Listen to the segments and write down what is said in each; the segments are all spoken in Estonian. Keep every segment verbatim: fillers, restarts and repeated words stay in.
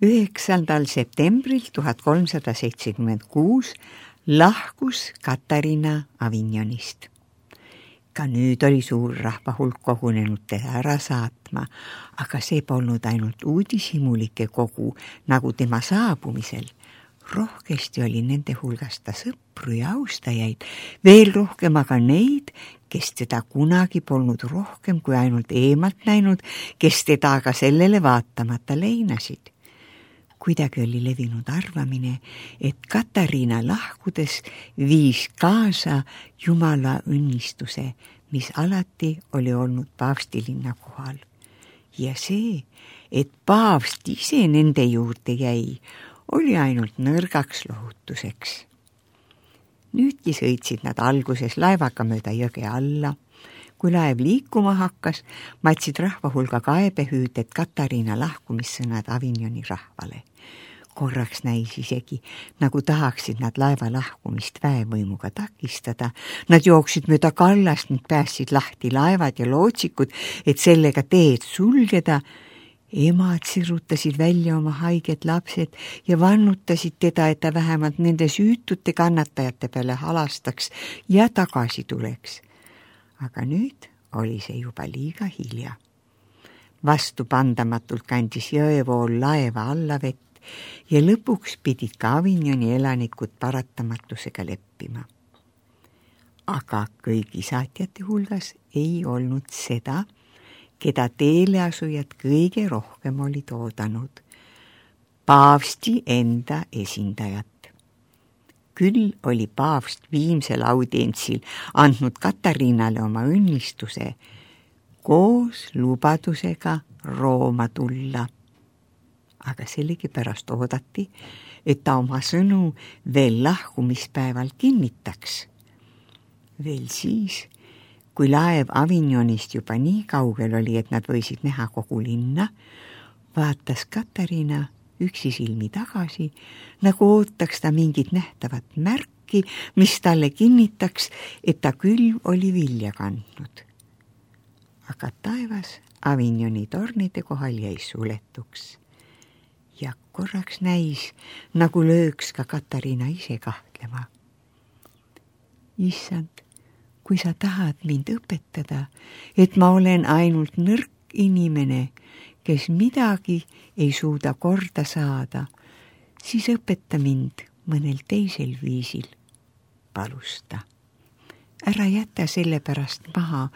üheksandal septembril tuhat kolmsada seitsekümmend kuus lahkus Katariina Avignonist. Ka nüüd oli suur rahvahulk kogunenud teda ära saatma, aga see polnud ainult uudishimulike kogu nagu tema saabumisel. Rohkesti oli nende hulgas ta sõpru ja austajaid, veel rohkem aga neid, kes teda kunagi polnud rohkem kui ainult eemalt näinud, kes teda aga sellele vaatamata leinasid. Kuidagi oli levinud arvamine, et Katariina lahkudes viis kaasa Jumala õnnistuse, mis alati oli olnud paavstilinna kohal. Ja see, et paavst ise nende juurde jäi, oli ainult nõrgaks lohutuseks. Nüüdki sõitsid nad alguses laevaga mööda jõge alla. Kui laev liikuma hakkas, matsid rahvahulga kaebehüüded Katariina lahkumissõnad Avignoni rahvale. Korraks näis isegi, nagu tahaksid nad laeva lahkumist väevõimuga takistada. Nad jooksid mööda kallast, ning päästsid lahti laevad ja lootsikud, et sellega teed sulgeda. Emad sirutasid välja oma haiged lapsed ja vannutasid teda, et ta vähemalt nende süütute kannatajate peale halastaks ja tagasi tuleks. Aga nüüd oli see juba liiga hilja. Vastupandamatult kandis jõevool laeva alla vett ja lõpuks pidid ka Avignoni elanikud paratamatusega leppima. Aga kõigi saatjate hulgas ei olnud seda, keda teeleasujad kõige rohkem olid oodanud. Paavsti enda esindajat. Küll oli paavst viimsel audientsil andnud Katariinale oma õnnistuse koos lubadusega Rooma tulla. Aga sellegi pärast oodati, et ta oma sõnu veel lahkumispäeval kinnitaks. Veel siis, kui laev Avignonist juba nii kaugel oli, et nad võisid näha kogu linna, vaatas Katariina üksi silmi tagasi, nagu ootaks ta mingit nähtavat märki, mis talle kinnitaks, et ta küll oli vilja kandnud. Aga taevas Avignoni tornide kohal jäi suletuks. Ja korraks näis, nagu lööks ka Katariina ise kahtlema. Issand, kui sa tahad mind õpetada, et ma olen ainult nõrk inimene, kes midagi ei suuda korda saada, siis õpeta mind mõnel teisel viisil, palus ta. Ära jäta selle pärast maha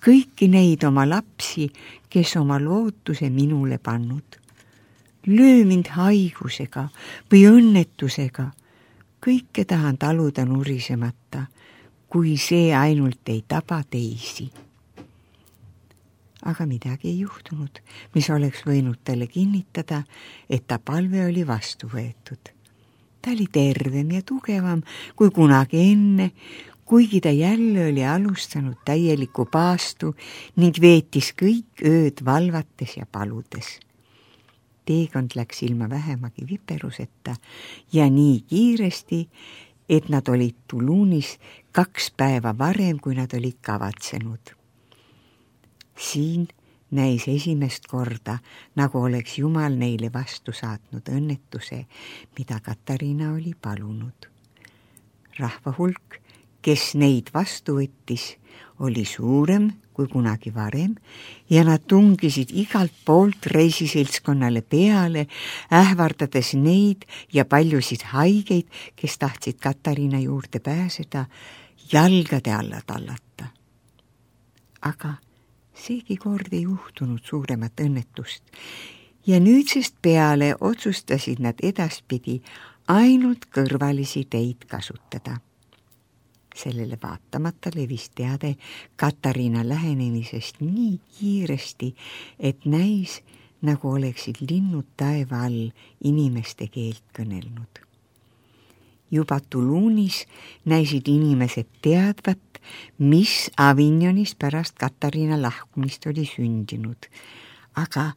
kõiki neid oma lapsi, kes oma lootuse minule pannud. Löö mind haigusega või õnnetusega. Kõike tahan taluda nurisemata, kui see ainult ei taba teisi. Aga midagi ei juhtunud, mis oleks võinud talle kinnitada, et ta palve oli vastu võetud. Ta oli tervem ja tugevam kui kunagi enne, kuigi ta jälle oli alustanud täielikku paastu ning veetis kõik ööd valvates ja paludes. Teekond läks ilma vähemagi viperuseta ja nii kiiresti, et nad olid Toulounis kaks päeva varem, kui nad olid kavatsenud. Siin näis esimest korda, nagu oleks Jumal neile vastu saatnud õnnetuse, mida Katariina oli palunud. Rahvahulk, kes neid vastu võttis, oli suurem kui kunagi varem ja nad tungisid igalt poolt reisiseltskonnale peale, ähvardades neid ja paljusid haigeid, kes tahtsid Katariina juurde pääseda, jalgade alla tallata. Aga seegi kord ei juhtunud suuremat õnnetust ja nüüdsest peale otsustasid nad edaspidi ainult kõrvalisi teid kasutada. Sellele vaatamata levis teade Katariina lähenemisest nii kiiresti, et näis, nagu oleksid linnud taeva all inimeste keelt kõnelnud. Juba Toulounis näisid inimesed teadvat, mis Avignonis pärast Katariina lahkumist oli sündinud, aga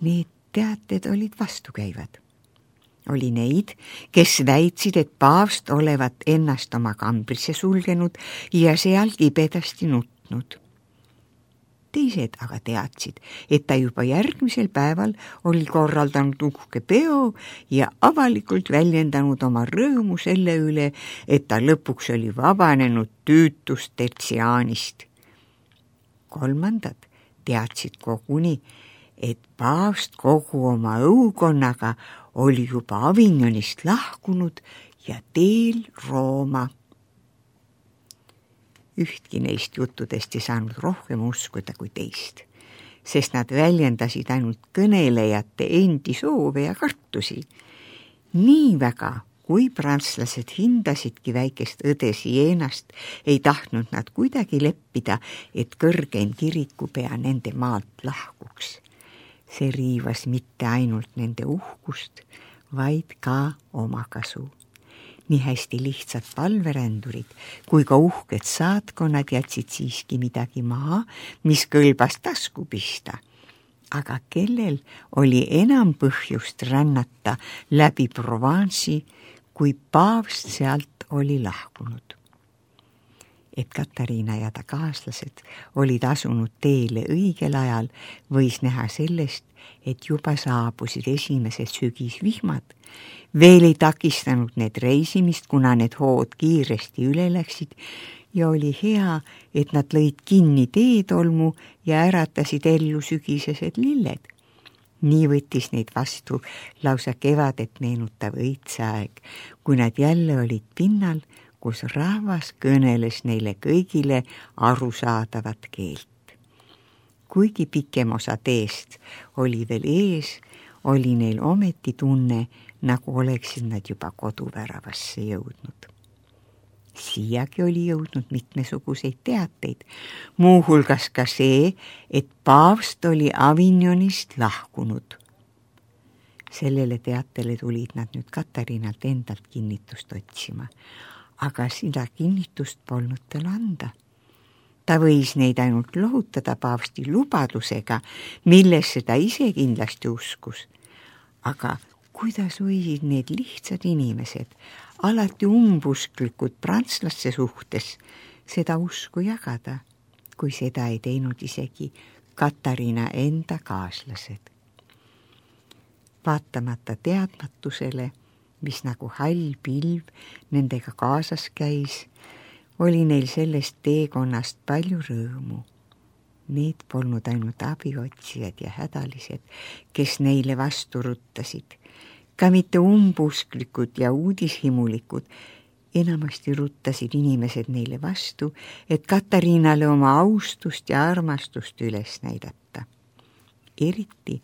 need teated olid vastukäivad. Oli neid, kes väitsid, et paavst olevat ennast oma kambrisse sulgenud ja seal kibedasti nutnud. teised aga teadsid, et ta juba järgmisel päeval oli korraldanud uhke peo ja avalikult väljendanud oma rõõmu selle üle, et ta lõpuks oli vabanenud tüütust tertsiaanist. Kolmandad teadsid koguni, et paavst kogu oma õukonnaga oli juba Avignonist lahkunud ja teel Rooma. Ühtki neist juttudest ei saanud rohkem uskuda kui teist, sest nad väljendasid ainult kõnelejate endi soove ja kartusi. Nii väga, kui prantslased hindasidki väikest õde Sienast, ei tahtnud nad kuidagi leppida, et kõrgeim kirikupea nende maalt lahkuks. See riivas mitte ainult nende uhkust, vaid ka omakasu. Nii hästi lihtsad palverändurid kui ka uhked saatkonnad jätsid siiski midagi maha, mis kõlbas tasku pista. Aga kellel oli enam põhjust rännata läbi Provence'i, kui paavst sealt oli lahkunud? Et Katariina ja ta kaaslased olid asunud teele õigel ajal, võis näha sellest, et juba saabusid esimesed sügisvihmad. Veel ei takistanud need reisimist, kuna need hood kiiresti üle läksid ja oli hea, et nad lõid kinni teetolmu ja äratasid ellu sügisesed lilled. Nii võttis neid vastu lausa kevadet meenutav õitseaeg, kui nad jälle olid pinnal, kus rahvas kõneles neile kõigile arusaadavat keelt. Kuigi pikem osa teest oli veel ees, oli neil ometi tunne, nagu oleksid nad juba koduväravasse jõudnud. Siiagi oli jõudnud mitmesuguseid teateid, muuhulgas ka see, et paavst oli Avignonist lahkunud. Sellele teatele tulid nad nüüd Katariinalt endalt kinnitust otsima, aga seda kinnitust polnud tal anda. Ta võis neid ainult lohutada paavsti lubadusega, millesse ta ise kindlasti uskus. Aga kuidas võisid need lihtsad inimesed, alati umbusklikud prantslaste suhtes, seda usku jagada, kui seda ei teinud isegi Katariina enda kaaslased? Vaatamata teadmatusele, mis nagu hall pilv nendega kaasas käis, oli neil sellest teekonnast palju rõõmu. Need polnud ainult abiotsijad ja hädalised, kes neile vastu ruttasid, ka mitte umbusklikud ja uudishimulikud. Enamasti ruttasid inimesed neile vastu, et Katariinale oma austust ja armastust üles näidata. Eriti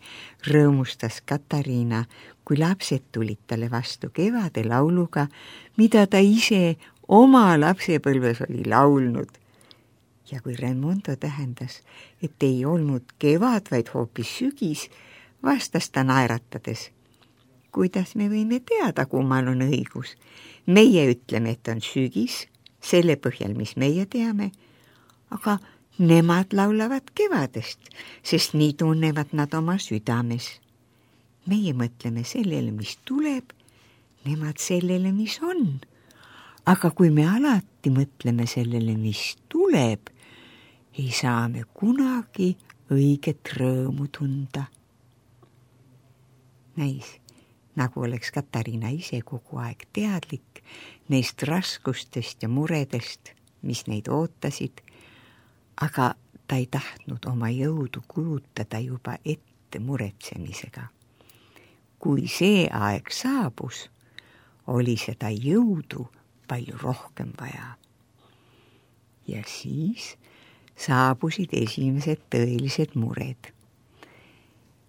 rõõmustas Katariina, kui lapsed tulid talle vastu kevade lauluga, mida ta ise oma lapsepõlves oli laulnud. Ja kui Raimondo tähendas, et ei olnud kevad, vaid hoopis sügis, vastas ta naeratades. Kuidas me võime teada, kummal on õigus? Meie ütleme, et on sügis, selle põhjal, mis meie teame, aga nemad laulavad kevadest, sest nii tunnevad nad oma südames. Meie mõtleme sellele, mis tuleb, nemad sellele, mis on. Aga kui me alati mõtleme sellele, mis tuleb, ei saa me kunagi õiget rõõmu tunda. Näis, nagu oleks Katariina ise kogu aeg teadlik neist raskustest ja muredest, mis neid ootasid, aga ta ei tahtnud oma jõudu kulutada juba ette muretsemisega. Kui see aeg saabus, oli seda jõudu palju rohkem vaja. Ja siis saabusid esimesed tõelised mured.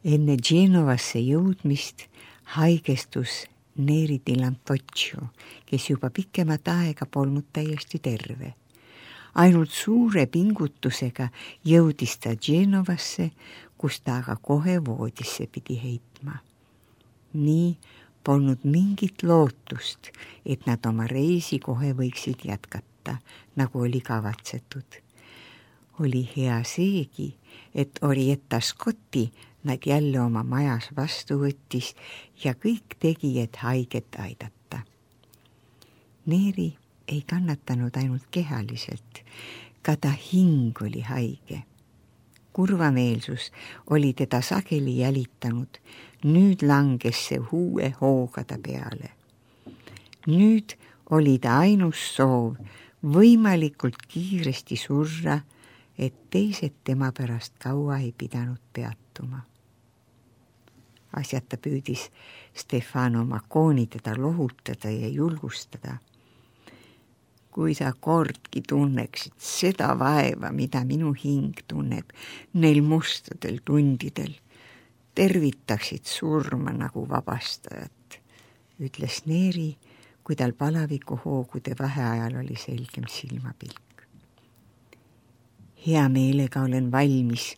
Enne Genovasse jõudmist haigestus Neri di Lampoccio, kes juba pikemat aega polnud täiesti terve. Ainult suure pingutusega jõudis ta Genovasse, kus ta aga kohe voodisse pidi heitma. Nii polnud mingit lootust, et nad oma reisi kohe võiksid jätkata, nagu oli kavatsetud. Oli hea seegi, et Orietta Scotti nad jälle oma majas vastu võttis ja kõik tegi, et haiget aidata. Neri ei kannatanud ainult kehaliselt, ka ta hing oli haige. kurvameelsus oli teda sageli jälitanud. Nüüd langes see uue hooga ta peale. Nüüd oli ta ainus soov võimalikult kiiresti surra, et teised tema pärast kaua ei pidanud peatuma. Asjata püüdis Stefano Macconi teda lohutada ja julgustada. Kui sa kordki tunneksid seda vaeva, mida minu hing tunneb neil mustadel tundidel, tervitaksid surma nagu vabastajat, ütles Neeri, kui tal palaviku hoogude vaheajal oli selgem silmapilk. Hea meelega olen valmis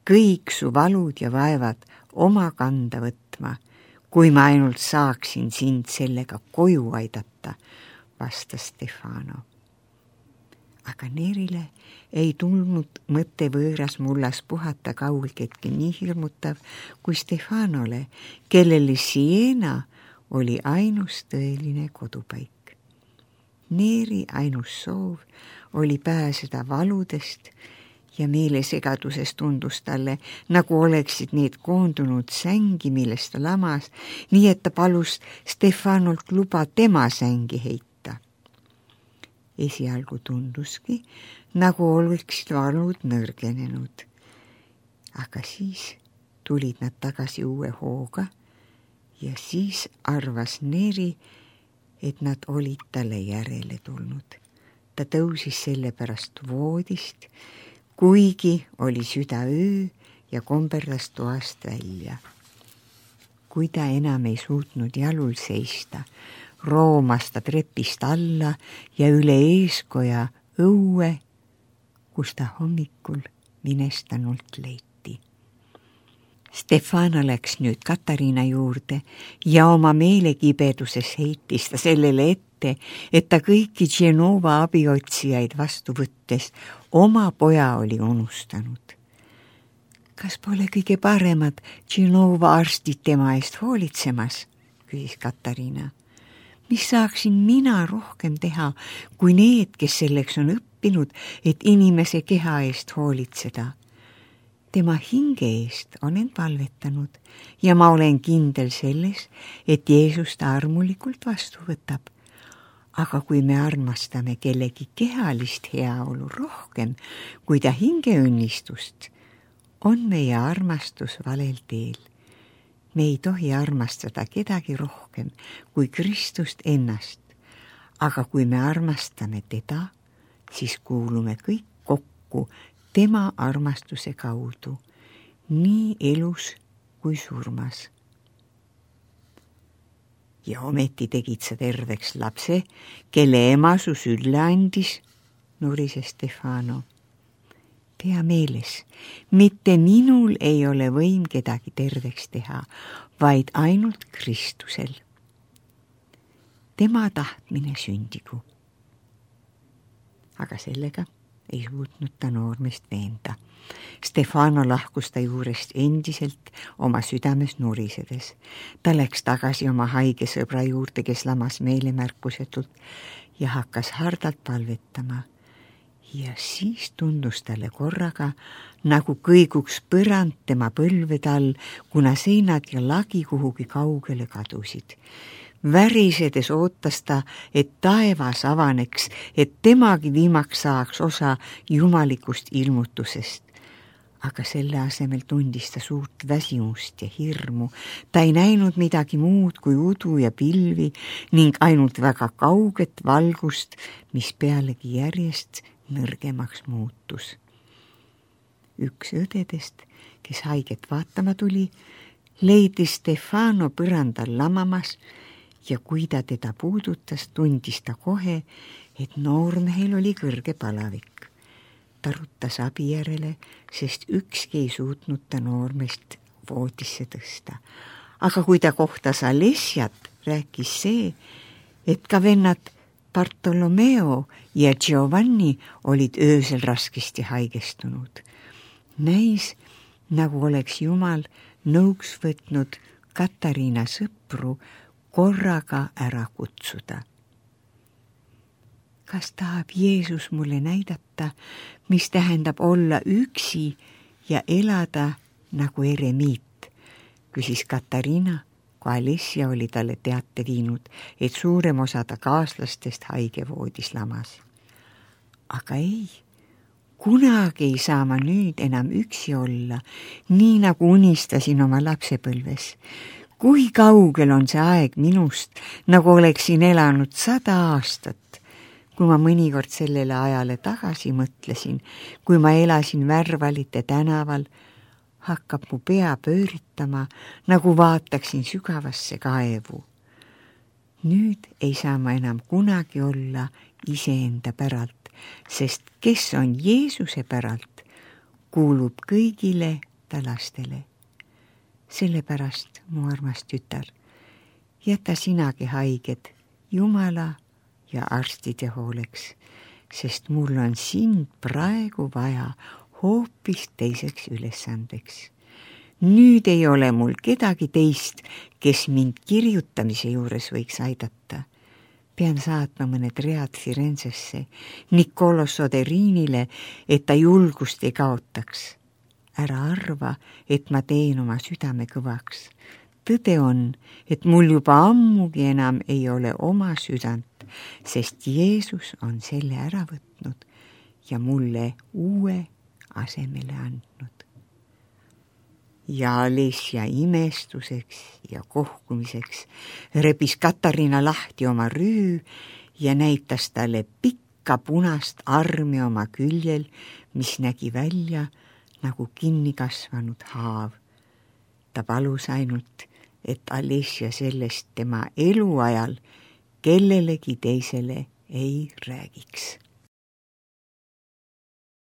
kõik su valud ja vaevad oma kanda võtma, kui ma ainult saaksin sind sellega koju aidata, vastas Stefano. Aga Neerile ei tulnud mõte võõras mullas puhata kaugeltki nii hirmutav kui Stefanole, kellele Siena oli ainus tõeline kodupaik. Neeri ainus soov oli pääseda valudest ja meelesegaduses tundus talle, nagu oleksid need koondunud sängi, millest ta lamas, nii et ta palus Stefanolt luba tema sängi heita. Esialgu tunduski, nagu oleksid valud nõrgenenud. Aga siis tulid nad tagasi uue hooga ja siis arvas Neeri, et nad olid talle järele tulnud. Ta tõusis selle pärast voodist, kuigi oli südaöö ja komberdas toast välja. Kui ta enam ei suutnud jalul seista, roomas ta trepist alla ja üle eeskoja õue, kus ta hommikul minestanult leiti. Stefano läks nüüd Katariina juurde ja oma meelekibeduses heitis ta sellele ette, et ta kõiki Genova abiotsijaid vastu võttes oma poja oli unustanud. Kas pole kõige paremad Genova arstid tema eest hoolitsemas, küsis Katariina. Mis saaksin mina rohkem teha, kui need, kes selleks on õppinud, et inimese keha eest hoolitseda? Tema hinge eest olen palvetanud ja ma olen kindel selles, et Jeesus ta armulikult vastu võtab. Aga kui me armastame kellegi kehalist heaolu rohkem kui ta hingeõnnistust, on meie armastus valel teel. Me ei tohi armastada kedagi rohkem kui Kristust ennast, aga kui me armastame teda, siis kuulume kõik kokku tema armastuse kaudu, nii elus kui surmas. Ja ometi tegid sa terveks lapse, kelle ema su sülle andis, nurises Stefano. Pea meeles, mitte minul ei ole võim kedagi terveks teha, vaid ainult Kristusel. Tema tahtmine sündigu. Aga sellega ei suutnud ta noormest veenda. Stefano lahkus ta juurest endiselt oma südames nurisedes. Ta läks tagasi oma haige sõbra juurde, kes lamas meelemärkusetult ja hakkas hardalt palvetama. Ja siis tundus talle korraga, nagu kõiguks põrand tema põlvede all, kuna seinad ja lagi kuhugi kaugele kadusid. Värisedes ootas ta, et taevas avaneks, et temagi viimaks saaks osa jumalikust ilmutusest. Aga selle asemel tundis ta suurt väsimust ja hirmu. Ta ei näinud midagi muud kui udu ja pilvi ning ainult väga kauget valgust, mis pealegi järjest nõrgemaks muutus. Üks õdedest, kes haiget vaatama tuli, leidis Stefano põrandal lamamas ja kui ta teda puudutas, tundis ta kohe, et noormehel oli kõrge palavik. Ta ruttas abi järele, sest ükski ei suutnud ta noormest voodisse tõsta. Aga kui ta kohtas Alessiat, rääkis see, et ka vennad Bartolomeo ja Giovanni olid öösel raskesti haigestunud. Näis, nagu oleks Jumal nõuks võtnud Katariina sõpru korraga ära kutsuda. Kas tahab Jeesus mulle näidata, mis tähendab olla üksi ja elada nagu eremiit, küsis Katariina, kui Alessia oli talle teate viinud, et suurem osa ta kaaslastest haigevoodis lamas. Aga ei, kunagi ei saa ma nüüd enam üksi olla, nii nagu unistasin oma lapsepõlves. Kui kaugel on see aeg minust, nagu oleksin elanud sada aastat. Kui ma mõnikord sellele ajale tagasi mõtlesin, kui ma elasin Värvalite tänaval, hakkab mu pea pööritama, nagu vaataksin sügavasse kaevu. Nüüd ei saa ma enam kunagi olla iseenda päralt, sest kes on Jeesuse päralt, kuulub kõigile ta lastele. Sellepärast, mu armas tütar, jäta sinagi haiged Jumala ja arstide hooleks, sest mul on sind praegu vaja hoopis teiseks ülesandeks. Nüüd ei ole mul kedagi teist, kes mind kirjutamise juures võiks aidata. Pean saatma mõned read Firenzesse, Niccolo Soderinile, et ta julgust ei kaotaks. Ära arva, et ma teen oma südame kõvaks. Tõde on, et mul juba ammugi enam ei ole oma südant, sest Jeesus on selle ära võtnud ja mulle uue asemele andnud. Ja Alessia imestuseks ja kohkumiseks rebis Katariina lahti oma rüü ja näitas talle pikka punast armi oma küljel, mis nägi välja nagu kinni kasvanud haav. Ta palus ainult, et Alessia sellest tema eluajal kellelegi teisele ei räägiks.